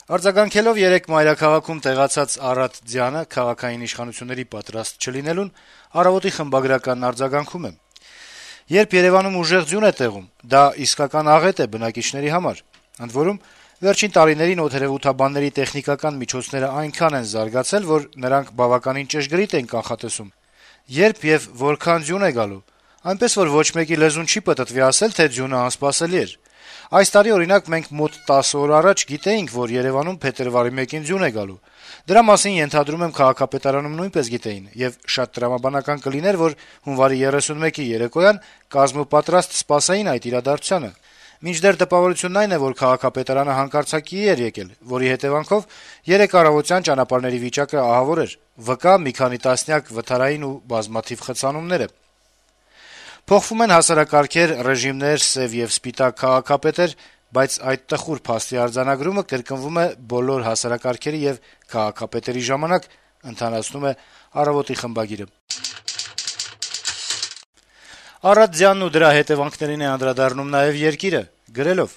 Արձագանքելով երեկ մայրաքաղաքում տեղացած Արադ Ձյանը քաղաքային իշխանությունների պատրաստ չլինելուն, «Առավոտ»-ի խմբագրականն արձագանքում է. - «Երբ Երեւանում ուժեղ ձյուն է տեղում, դա իսկական աղետ է բնակիչների համար: Ընդ որում, վերջին տարիներին օդերեւութաբանների տեխնիկական միջոցները այնքան են զարգացել, որ նրանք բավականին ճշգրիտ են կանխատեսում երբ եւ որքան ձյուն է գալու, այնպես որ ոչ մեկի լեզուն չի պտտվի ասել, թե ձյունը անսպասելի էր: Այս տարի, օրինակ, մենք մոտ 10 օր առաջ գիտեինք, որ Երեւանում փետրվարի 1-ին ձյուն է գալու: Դրա մասին, ենթադրում եմ, քաղաքապետարանում նույնպես գիտեին, եւ շատ տրամաբանական կլիներ, որ հունվարի 31-ի երեկոյան կազմապատրաստ սպասեին այդ իրադարձությանը: Մինչդեռ տպավորությունն այն է, որ քաղաքապետարանը հանկարծակիի էր եկել, որի հետեւանքով երեկ առավոտյան ճանապարհների վիճակը ահավոր էր, վկա մի քանի տասնյակ վթարային ու բազմաթիվ խցանումներ: Փոխվում են հասարակարգեր, ռեժիմներ, սեւ եւ սպիտակ քաղաքապետեր, բայց այդ տխուր փաստի արձանագրումը կրկնվում է բոլոր հասարակարգերի եւ քաղաքապետերի ժամանակ»: Արադ Ձյանն ու դրա հետեւանքներին է անդրադառնում նաեւ «Երկիր»-ը, գրելով.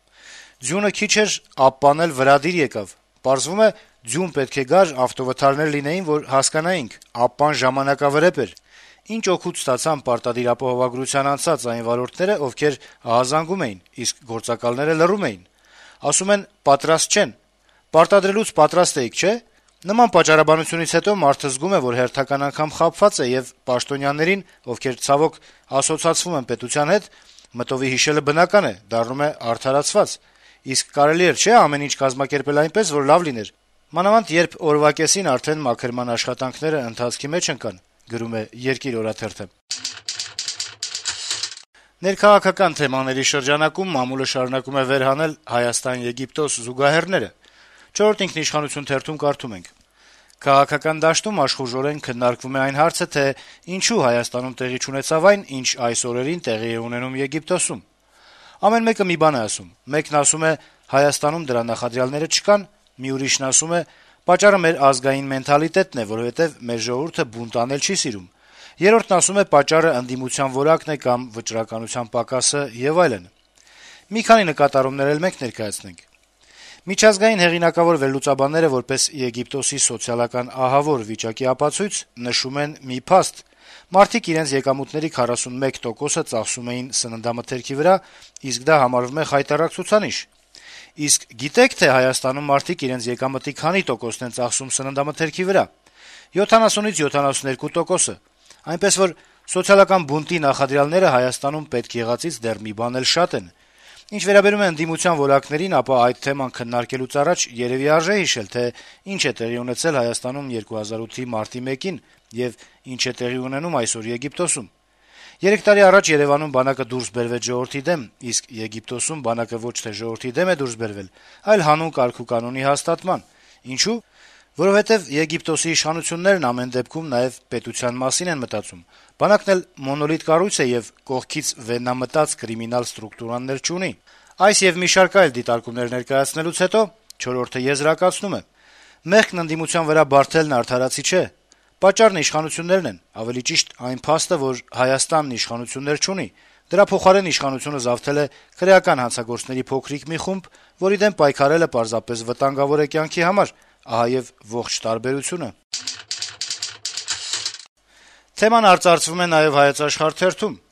- «Ձյունը քիչ էր, Ապպան էլ վրադիր եկավ: Պարզվում է, ձյուն պետք է գար, ավտովթարներ լինեին, որ հասկանայինք. Ապպան ժամանակավրեպ էր: Ինչ օգուտ ստացան պարտադիր ապահովագրության անցած այն վարորդները, ովքեր ահազանգում էին, իսկ գործակալները լռում էին: Ասում են՝ պատրաստ չեն: Պարտադրելուց պատրաստ էիք, չէ՞: Նման պատճառաբանությունից հետո մարդը զգում է, որ հերթական անգամ խաբված է, եւ պաշտոնյաներին, ովքեր, ցավոք, ասոցացվում են պետության հետ, մտովի հիշելը բնական է, դառնում է արդարացված: Իսկ կարելի էր, չէ՞, ամեն ինչ կազմակերպել այնպես, որ լավ լիներ: Մանավանդ երբ օրվա կեսին արդեն մաքրման աշխատանքները ընթացքի մեջ ընկան»: Ներքաղաքական թեմաների շրջանակում մամուլը շարունակում է վերհանել Հայաստան-Եգիպտոս զուգահեռները: «Չորրորդ ինքնիշխանություն» թերթում կարդում ենք. - «Քաղաքական դաշտում աշխուժորեն քննարկվում է այն հարցը, թե ինչու Հայաստանում տեղի չունեցավ այն, ինչ այս օրերին տեղի է ունենում Եգիպտոսում: Ամեն մեկը մի բան է ասում: Մեկն ասում է՝ Հայաստանում դրա նախադրյալները չկան, մի ուրիշն ասում է՝ պատճառը մեր ազգային մենթալիտետն է, որովհետեւ մեր ժողովուրդը բունտ անել չի սիրում: Երրորդն ասում է՝ պատճառը ընդդիմության որակն է կամ վճռականության պակասը եւ այլն: Մի քանի նկատառումներ էլ մենք ներկայացնենք: Միջազգային հեղինակավոր վերլուծաբանները, որպես Եգիպտոսի սոցիալական ահավոր վիճակի ապացույց, նշում են մի փաստ. մարդիկ իրենց եկամուտների 41%-ը ծախսում էին սննդամթերքի վրա, իսկ դա համարվում է խայտառակ ցուցանիշ: Գիտե՞ք, թե Հայաստանում մարդիկ իրենց եկամտի քանի տոկոսն են ծախսում սննդամթերքի վրա: 70-ից 72%: Այնպես որ սոցիալական բունտի նախադրյալները Հայաստանում պետք եղածից դեռ մի բան էլ շատ են: Ինչ վերաբերում է ընդդիմության որակներին, ապա այդ թեման քննարկելուց առաջ երեւի արժե հիշել, թե ինչ է տեղի ունեցել Հայաստանում 2008-ի մարտի 1-ին եւ ինչ է տեղի ունենում այսօր Եգիպտոսում: 3 տարի առաջ Երեւանում բանակը դուրս բերվեց ժողովրդի դեմ, իսկ Եգիպտոսում բանակը ոչ թե ժողովրդի դեմ է դուրս բերվել, այլ հանուն կարգուկանոնի հաստատման: Ինչո՞ւ: Որովհետեւ Եգիպտոսի իշխանություններն ամեն դեպքում նաեւ պետության մասին են մտածում: Բանակն էլ մոնոլիտ կառույց է եւ կողքից վեննամտած կրիմինալ ստրուկտուրաներ չունի»: Այս եւ մի շարք այլ դիտարկումներ ներկայացնելուց հետո «Չորրորդը» եզրակացնում է. - «Մեղքն ընդդիմության վրա բարդելն արդարացի չէ: Պատճառն իշխանություններն են, ավելի ճիշտ այն փաստը, որ Հայաստանն իշխանություններ չունի: Դրա փոխարեն իշխանությունը զավթել է քրեական հանցագործների փոքրիկ մի խումբ, որի դեմ պայքարելը պարզապես վտանգավոր է կյանքի համար: Ահա եւ ողջ տարբերությունը»: Թեման արծարծվում է նաեւ «Հայոց Աշխարհ» թերթում. -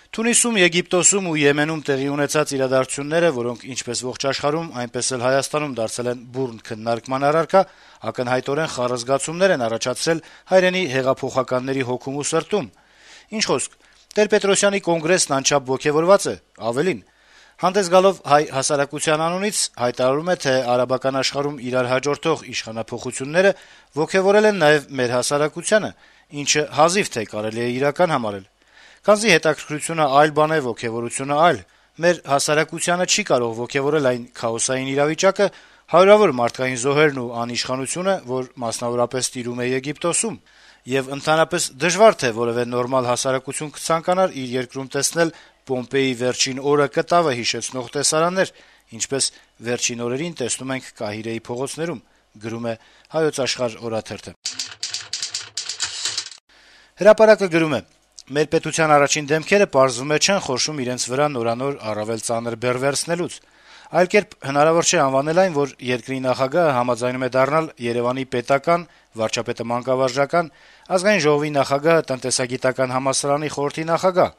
«Թունիսում, Եգիպտոսում ու Եմենում տեղի ունեցած իրադարձությունները, որոնք ինչպես ողջ աշխարհում, այնպես էլ Հայաստանում դարձել են բուռն քննարկման առարկա, ակնհայտորեն խառը զգացումներ են առաջացրել հայրենի հեղափոխականների հոգում ու սրտում: Ինչ խոսք, Տեր-Պետրոսյանի կոնգրեսն անչափ ոգեւորված է, ավելին, հանդես գալով հայ հասարակության անունից, հայտարարում է, թե արաբական աշխարհում իրար հաջորդող իշխանափոխությունները ոգեւորել են նաեւ մեր հասարակությանը, ինչը հազիվ թե կարելի է իրական համարել: Քանզի հետաքրքրությունը այլ բան է, ոգեւորությունը այլ: Մեր հասարակությանը չի կարող ոգեւորել այն քաոսային իրավիճակը, հարյուրավոր մարդկային զոհերն ու անիշխանությունը, որ մասնավորապես տիրում է Եգիպտոսում: Եվ ընդհանրապես դժվար թե որեւէ նորմալ հասարակություն կցանկանար իր երկրում տեսնել Պոմպեյի վերջին օրը կտավը հիշեցնող տեսարաններ, ինչպես վերջին օրերին տեսնում ենք Կահիրեի փողոցներում»: «Հրապարակ»-ը գրում է. - «Մեր պետության առաջին դեմքերը, պարզվում է, չեն խորշում իրենց վրա նորանոր առավել ծանր բեռ վերցնելուց: Այլ կերպ հնարավոր չէ անվանել այն, որ երկրի նախագահը համաձայնում է դառնալ Երեւանի պետական, վարչապետը մանկավարժական, ազգային ժողովի նախագահը տնտեսագիտական համալսարանի խորհրդի նախագահ,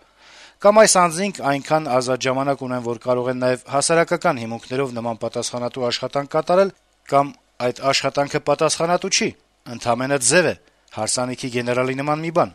կամ այս անձինք այնքան ազատ ժամանակ ունեն, որ կարող են նաեւ հասարակական հիմունքներով նման պատասխանատու աշխատանք կատարել, կամ այդ աշխատանքը պատասխանատու չի, ընդամենը ձեւ է, հարսանիքի գեներալի նման մի բան»։